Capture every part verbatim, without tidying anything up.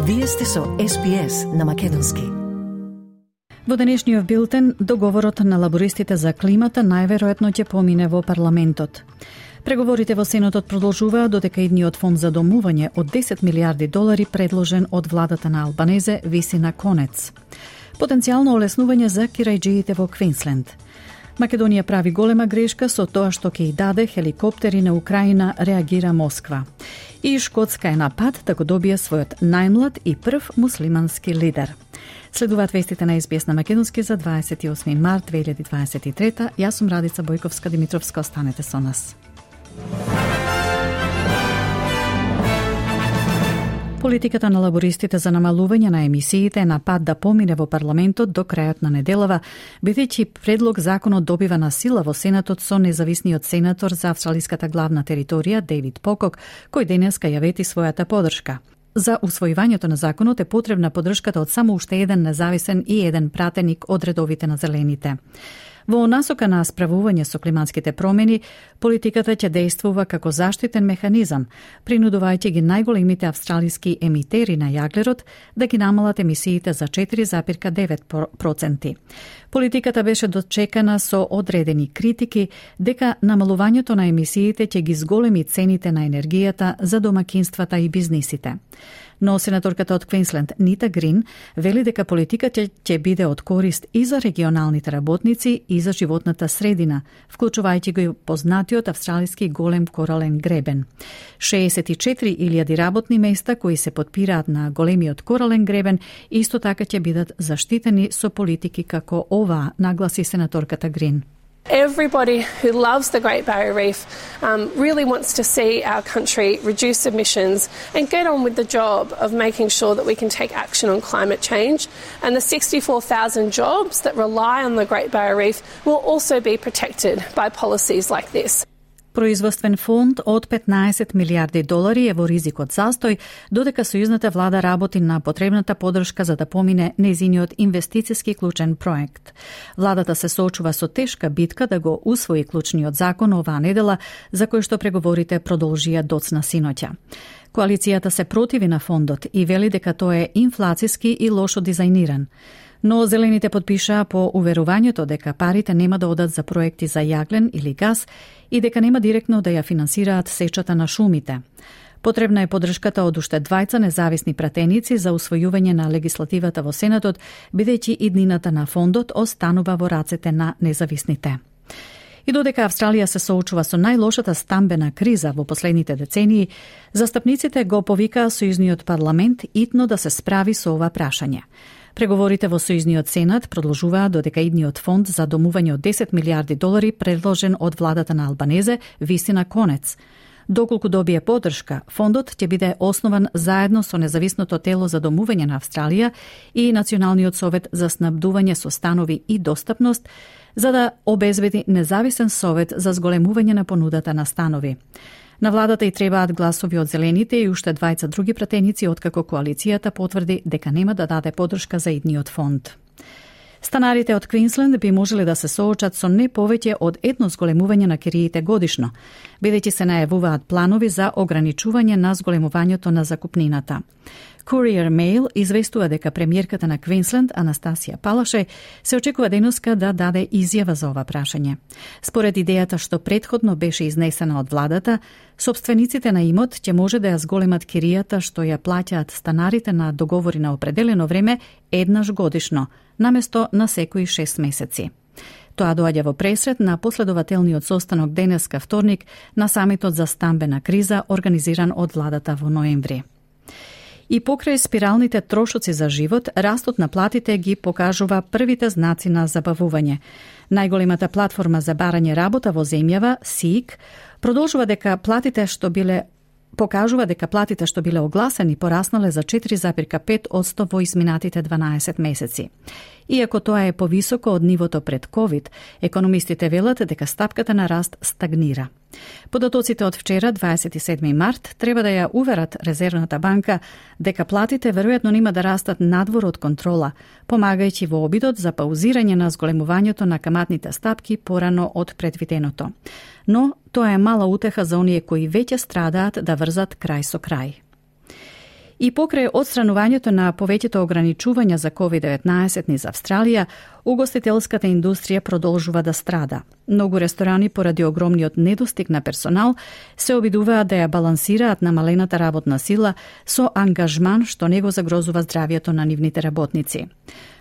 Вие сте со Ес Би Ес на македонски. Во денешниот билтен, договорот на лабористите за климата најверојатно ќе помине во парламентот. Преговорите во Сенатот продолжуваат додека идниот фонд за домување од десет милиарди долари предложен од владата на Албанезе виси на конец. Потенцијално олеснување за кирајџиите во Квинсленд. Македонија прави голема грешка со тоа што ќе и даде хеликоптери на Украина, реагира Москва. И Шкотска е на пат да го добие својот најмлад и прв муслимански лидер. Следуваат вестите на Ес Би Ес на македонски за дваесет и осми март две илјади дваесет и трета. Јас сум Радица Бојковска-Димитровска, останете со нас. Политиката на лабористите за намалување на емисиите е на пат да помине во парламентот до крајот на неделава, бидејќи предлог законот добива на сила во Сенатот со независниот сенатор за австралиската главна територија Дейвид Покок, кој денеска ја вети својата поддршка. За усвојувањето на законот е потребна поддршката од само уште еден независен и еден пратеник од редовите на зелените. Во насока на справување со климатските промени, политиката ќе действува како заштитен механизам, принудувајќи ги најголемите австралиски емитери на јаглерод да ги намалат емисиите за четири зарез девет проценти. Политиката беше дочекана со одредени критики дека намалувањето на емисиите ќе ги зголеми цените на енергијата за домакинствата и бизнисите. Но сенаторката од Квинсленд Нита Грин вели дека политиката ќе биде од корист и за регионалните работници и за животната средина, вклучувајќи го познатиот австралиски голем корален гребен. шеесет и четири илјади работни места кои се потпираат на големиот корален гребен исто така ќе бидат заштитени со политики како оваа, нагласи сенаторката Грин. Everybody who loves the Great Barrier Reef um, really wants to see our country reduce emissions and get on with the job of making sure that we can take action on climate change. And the sixty-four thousand jobs that rely on the Great Barrier Reef will also be protected by policies like this. Производствен фонд од петнаесет милиарди долари е во ризик од застој, додека сојузната влада работи на потребната поддршка за да помине нејзиниот инвестициски клучен проект. Владата се соочува со тешка битка да го усвои клучниот закон оваа недела, за кој што преговорите продолжија доцна синоќа. Коалицијата се противи на фондот и вели дека тој е инфлацијски и лошо дизајниран. Но зелените подпишаа по уверувањето дека парите нема да одат за проекти за јаглен или газ и дека нема директно да ја финансираат сечата на шумите. Потребна е поддршката од уште двајца независни пратеници за усвојување на легислативата во Сенатот, бидејќи иднината на фондот останува во рацете на независните. И додека Австралија се соочува со најлошата стамбена криза во последните децении, застапниците го повикаа сојузниот парламент итно да се справи со ова прашање. Преговорите во Сојузниот Сенат продолжуваат додека идниот фонд за домување од десет милиарди долари предложен од владата на Албанезе виси на конец. Доколку добие поддршка, фондот ќе биде основан заедно со независното тело за домување на Австралија и Националниот совет за снабдување со станови и достапност, за да обезбеди независен совет за зголемување на понудата на станови. На владата и требаат гласови од зелените и уште двајца други пратеници, откако коалицијата потврди дека нема да даде поддршка за идниот фонд. Станарите од Квинсленд би можеле да се соочат со не повеќе од едно зголемување на кириите годишно, бидејќи се најавуваат планови за ограничување на зголемувањето на закупнината. Courier Mail известува дека премиерката на Квинсленд, Анастасија Палаше, се очекува денеска да даде изјава за ова прашање. Според идејата што претходно беше изнесена од владата, сопствениците на имот ќе може да ја зголемат киријата што ја плаќаат станарите на договори на определено време еднаш годишно, наместо на секои шест месеци. Тоа доаѓа во пресред на последователниот состанок денеска вторник на самитот за стамбена криза организиран од владата во ноември. И покрај спиралните трошоци за живот, растот на платите ги покажува првите знаци на забавување. Најголемата платформа за барање работа во земјава, Seek, продолжува дека платите што биле покажува дека платите што биле огласени пораснале за четири зарез пет одсто во изминатите дванаесет месеци. Иако тоа е повисоко од нивото пред ковид, економистите велат дека стапката на раст стагнира. Податоците од вчера, дваесет и седми март, треба да ја уверат Резервната банка дека платите веројатно нема да растат надвор од контрола, помагајќи во обидот за паузирање на зголемувањето на каматните стапки порано од предвиденото. Но тоа е мала утеха за оние кои веќе страдаат да врзат крај со крај. И покрај одстранувањето на повеќето ограничувања за ковид деветнаесет низ Австралија, угостителската индустрија продолжува да страда. Многу ресторани поради огромниот недостиг на персонал се обидуваат да ја балансираат намалената работна сила со ангажман што не го загрозува здравието на нивните работници.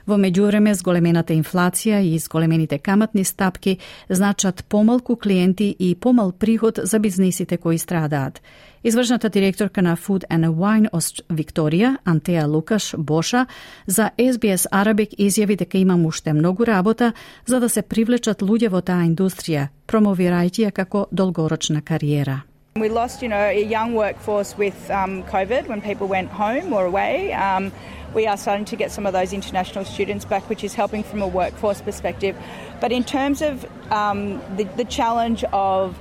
Во меѓувреме, зголемената инфлација и зголемените каматни стапки значат помалку клиенти и помал приход за бизнисите кои страдаат. Извршната директорка на Food and Wine Викторија, Антеа Лукаш Боша, за Ес Би Ес Arabic изјави дека има уште многу работа за да се привлечат луѓе во таа индустрија, промовирајќи ја како долгорочна кариера. We lost, you know, a young workforce with um, COVID when people went home or away. Um, we are starting to get some of those international students back, which is helping from a workforce perspective. But in terms of um, the, the challenge of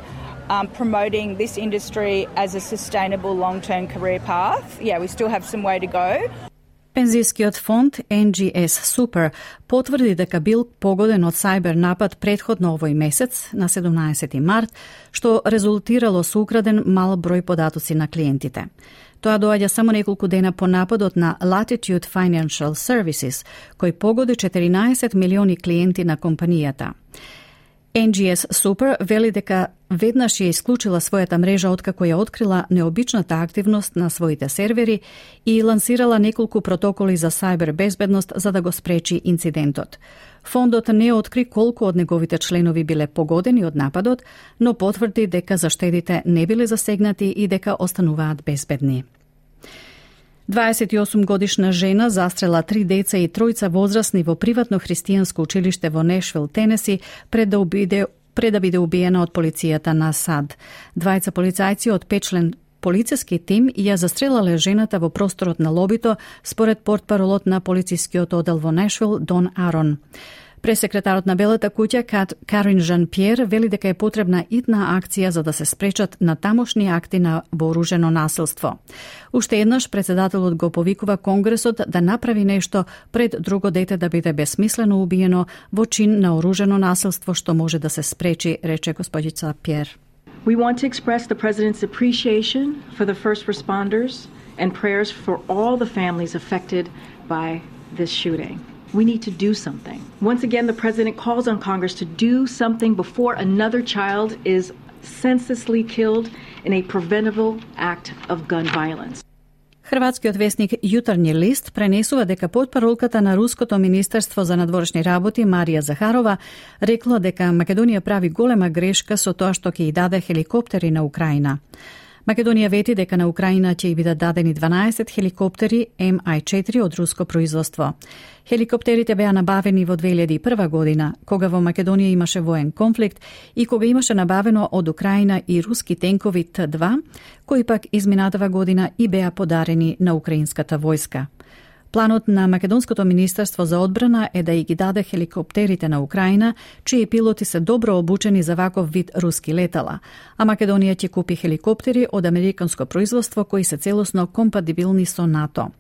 um, promoting this industry as a sustainable long-term career path, yeah, we still have some way to go. Пензискиот фонд Ен Джи Ес Super потврди дека бил погоден од сајбер напад претходно овој месец, на седумнаесети март, што резултирало со украден мал број податоци на клиентите. Тоа доаѓа само неколку дена по нападот на Latitude Financial Services, кој погоди четиринаесет милиони клиенти на компанијата. Ен Джи Ес Super вели дека веднаш ја исклучила својата мрежа откако ја открила необичната активност на своите сервери и лансирала неколку протоколи за сајбер безбедност за да го спречи инцидентот. Фондот не откри колку од неговите членови биле погодени од нападот, но потврди дека заштедите не биле засегнати и дека остануваат безбедни. дваесет и осум годишна жена застрела три деца и тројца возрасни во приватно христијанско училиште во Нешвил, Тенеси, пред да убиде пред да биде убиена од полицијата на САД. Двајца полицајци од петчлен полициски тим ја застрелале жената во просторот на лобито, според портпаролот на полицискиот одел во Нешвил, Дон Арон. Пресекретарот на Белата куќа, Кат, Карин Жан-Пьер, вели дека е потребна итна акција за да се спречат на тамошни акти на вооружено насилство. Уште еднаш председателот го повикува Конгресот да направи нешто пред друго дете да биде бесмислено убиено во чин на оружено насилство што може да се спречи, рече господица Пьер. We want to express the President's appreciation for the first responders and prayers for all the families affected by this shooting. We need to do something. Once again, the President calls on Congress to do something before another child is senselessly killed in a preventable act of gun violence. Хрватскиот весник Јутарњи лист пренесува дека потпаролката на Руското министерство за надворешни работи Марија Захарова рекла дека Македонија прави голема грешка со тоа што ќе ја даде хеликоптери на Украина. Македонија вети дека на Украина ќе ја бидат дадени дванаесет хеликоптери Ем Ај четири од руско производство. Хеликоптерите беа набавени во две илјади и прва година, кога во Македонија имаше воен конфликт и кога имаше набавено од Украина и руски тенкови Т два, кои пак изминатава година и беа подарени на украинската војска. Планот на Македонското министерство за одбрана е да ја ги даде хеликоптерите на Украина, чии пилоти се добро обучени за ваков вид руски летала, а Македонија ќе купи хеликоптери од американско производство кои се целосно компатибилни со НАТО.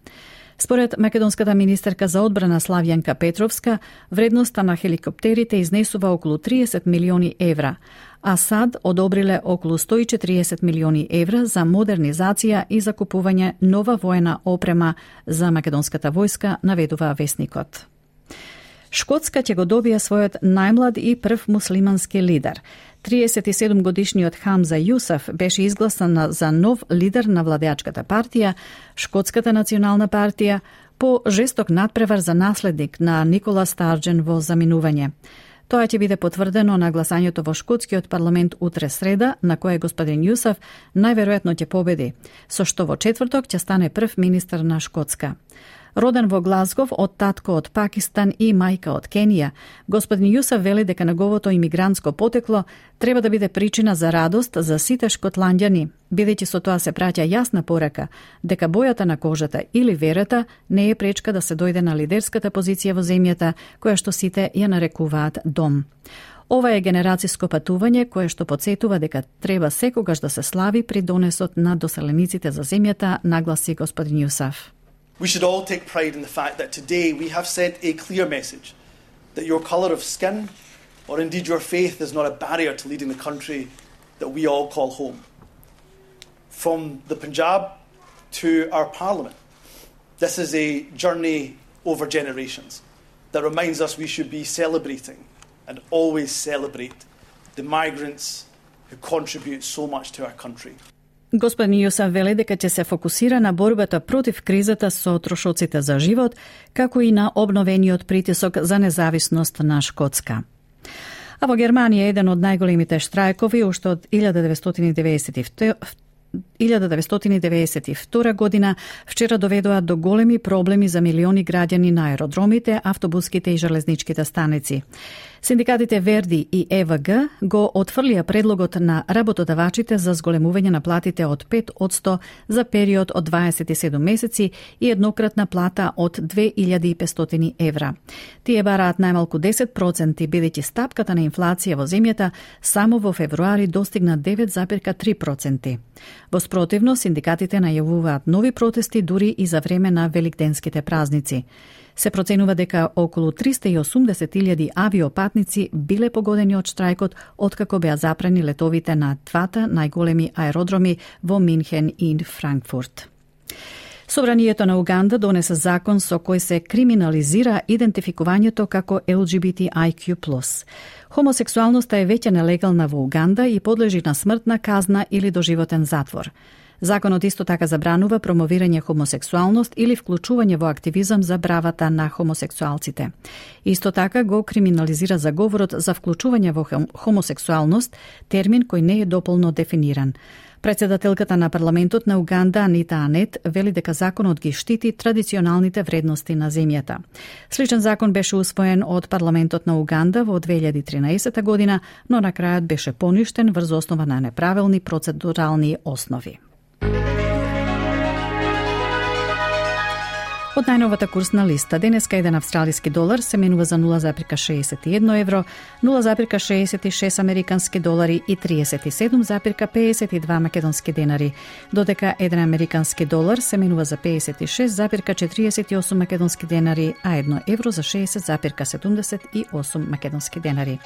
Според македонската министерка за одбрана Славјанка Петровска, вредноста на хеликоптерите изнесува околу триесет милиони евра, а САД одобриле околу сто и четириесет милиони евра за модернизација и закупување нова воена опрема за македонската војска, наведува весникот. Шкотска ќе го добија својот најмлад и прв муслимански лидер. триесет и седум годишниот Хамза Јусаф беше изгласан за нов лидер на владеачката партија, Шкотската национална партија, по жесток надпревар за наследник на Никола Старџен во заминување. Тоа ќе биде потврдено на гласањето во Шкотскиот парламент утре среда, на кое господин Јусаф најверојатно ќе победи, со што во четврток ќе стане прв министер на Шкотска. Роден во Глазгов од татко од Пакистан и мајка од Кенија, господин Јусаф вели дека неговото имигрантско потекло треба да биде причина за радост за сите шкотланѓани, бидејќи со тоа се праќа јасна порака дека бојата на кожата или верата не е пречка да се дојде на лидерската позиција во земјата, која што сите ја нарекуваат дом. Ова е генерациско патување кое што подсетува дека треба секогаш да се слави при донесот на доселениците за земјата, нагласи господин Јусаф. We should all take pride in the fact that today we have sent a clear message that your colour of skin or indeed your faith is not a barrier to leading the country that we all call home. From the Punjab to our parliament, This is a journey over generations that reminds us we should be celebrating and always celebrate the migrants who contribute so much to our country. Господин Јосеф вели дека ќе се фокусира на борбата против кризата со трошоците за живот, како и на обновениот притисок за независност на Шкотска. А во Германија еден од најголемите штрајкови уште од илјада деветстотини и деветдесет и втора година вчера доведоа до големи проблеми за милиони граѓани на аеродромите, автобуските и железничките станици. Синдикатите Верди и Е В Г го отфрлија предлогот на работодавачите за зголемување на платите од пет одсто за период од дваесет и седум месеци и еднократна плата од две илјади и петстотини евра. Тие бараат најмалку десет проценти, бидејќи стапката на инфлација во земјата само во февруари достигна девет зарез три проценти. Во спротивно, синдикатите најавуваат нови протести дури и за време на великденските празници. Се проценува дека околу триста и осумдесет илјади авиопатници биле погодени од штрајкот откако беа запрени летовите на двата најголеми аеродроми во Минхен и Франкфурт. Собранието на Уганда донесе закон со кој се криминализира идентификувањето како Л Г Б Т I Q плюс. Хомосексуалноста е веќе нелегална во Уганда и подлежи на смртна казна или доживотен затвор. Законот исто така забранува промовирање хомосексуалност или вклучување во активизам за правата на хомосексуалците. Исто така го криминализира заговорот за вклучување во хомосексуалност, термин кој не е дополно дефиниран. Председателката на парламентот на Уганда Анита Анет вели дека законот ги штити традиционалните вредности на земјата. Сличен закон беше усвоен од парламентот на Уганда во две илјади и тринаесета година, но на крајот беше поништен врз основа на неправилни процедурални основи. Од најновата курсна листа, денеска еден австралиски долар се менува за нула зарез шеесет и едно евро, нула зарез шеесет и шест американски долари и триесет и седум зарез пеесет и два македонски денари, додека еден американски долар се менува за пеесет и шест зарез четириесет и осум македонски денари, а едно евро за шеесет зарез седумдесет и осум македонски денари.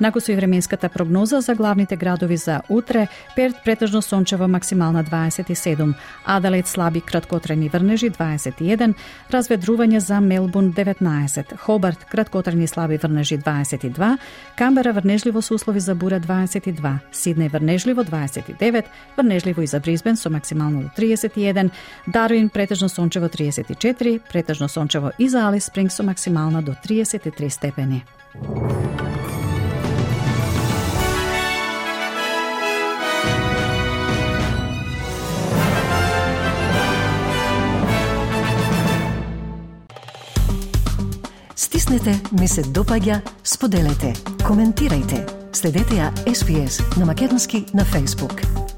Нако со и временската прогноза за главните градови за утре: Перт претежно сончево, максимална дваесет и седум, Аделаид слаби краткотрени врнежи дваесет и еден, разведрување за Мелбурн деветнаесет, Хобарт краткотрени слаби врнежи дваесет и два, Камбера врнежливо со услови за бура дваесет и два, Сиднеј врнежливо дваесет и девет, врнежливо и за Брисбен со максимално до триесет и еден, Дарвин претежно сончево триесет и четири, претежно сончево и за Алис Спрингс со максимална до триесет и три степени. Стиснете, ми се допаѓа, споделете, коментирајте. Следете ја Ес Би Ес на македонски на Facebook.